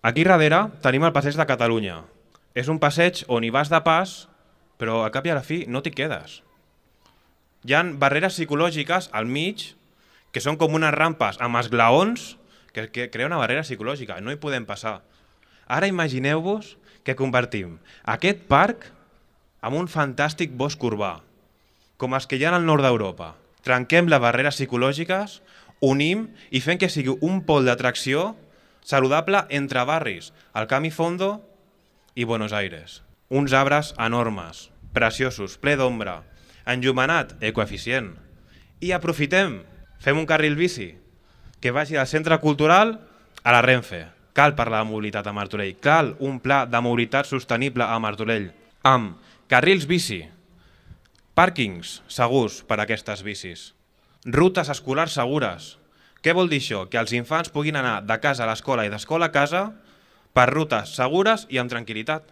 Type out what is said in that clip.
Aquí darrere tenim el passeig de Catalunya. És un passeig on hi vas de pas, però al cap i a la fi no t'hi quedes. Hi ha barreres psicològiques al mig, que són com unes rampes amb esglaons, que crea una barrera psicològica, no hi podem passar. Ara imagineu-vos que convertim aquest parc en un fantàstic bosc urbà, com els que hi ha al nord d'Europa. Trenquem les barreres psicològiques, unim i fem que sigui un pol d'atracció saludable entre barris, el Camí Fondo i Buenos Aires. Uns arbres enormes, preciosos, ple d'ombra, enllumenat, ecoeficient. I aprofitem, fem un carril bici que vagi del centre cultural a la Renfe. Cal parlar de mobilitat a Martorell, cal un pla de mobilitat sostenible a Martorell, amb carrils bici, pàrquings segurs per a aquestes bicis, rutes escolars segures. Què vol dir això? Que els infants puguin anar de casa a l'escola i d'escola a casa per rutes segures i amb tranquil·litat.